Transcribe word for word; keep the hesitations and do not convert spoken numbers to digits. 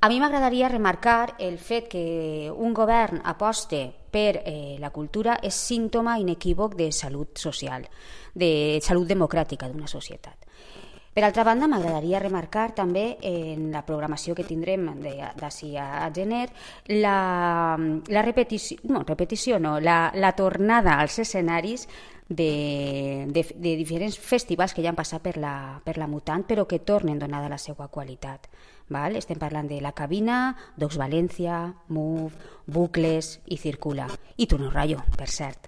A mi m'agradaria remarcar el fet que un govern aposte per eh, la cultura és símptoma inequívoc de salut social, de salut democràtica d'una societat. Per altra banda, m'agradaria remarcar també en la programació que tindrem d'ací a gener la, la repetició, no, repetició no, la, la tornada als escenaris de, de, de diferents festivals que ja han passat per la, per la Mutant, però que tornen donada la seva qualitat. Val? Estem parlant de La Cabina, Docs València, Move, Bucles i Circula. I Tono Rayo, per cert.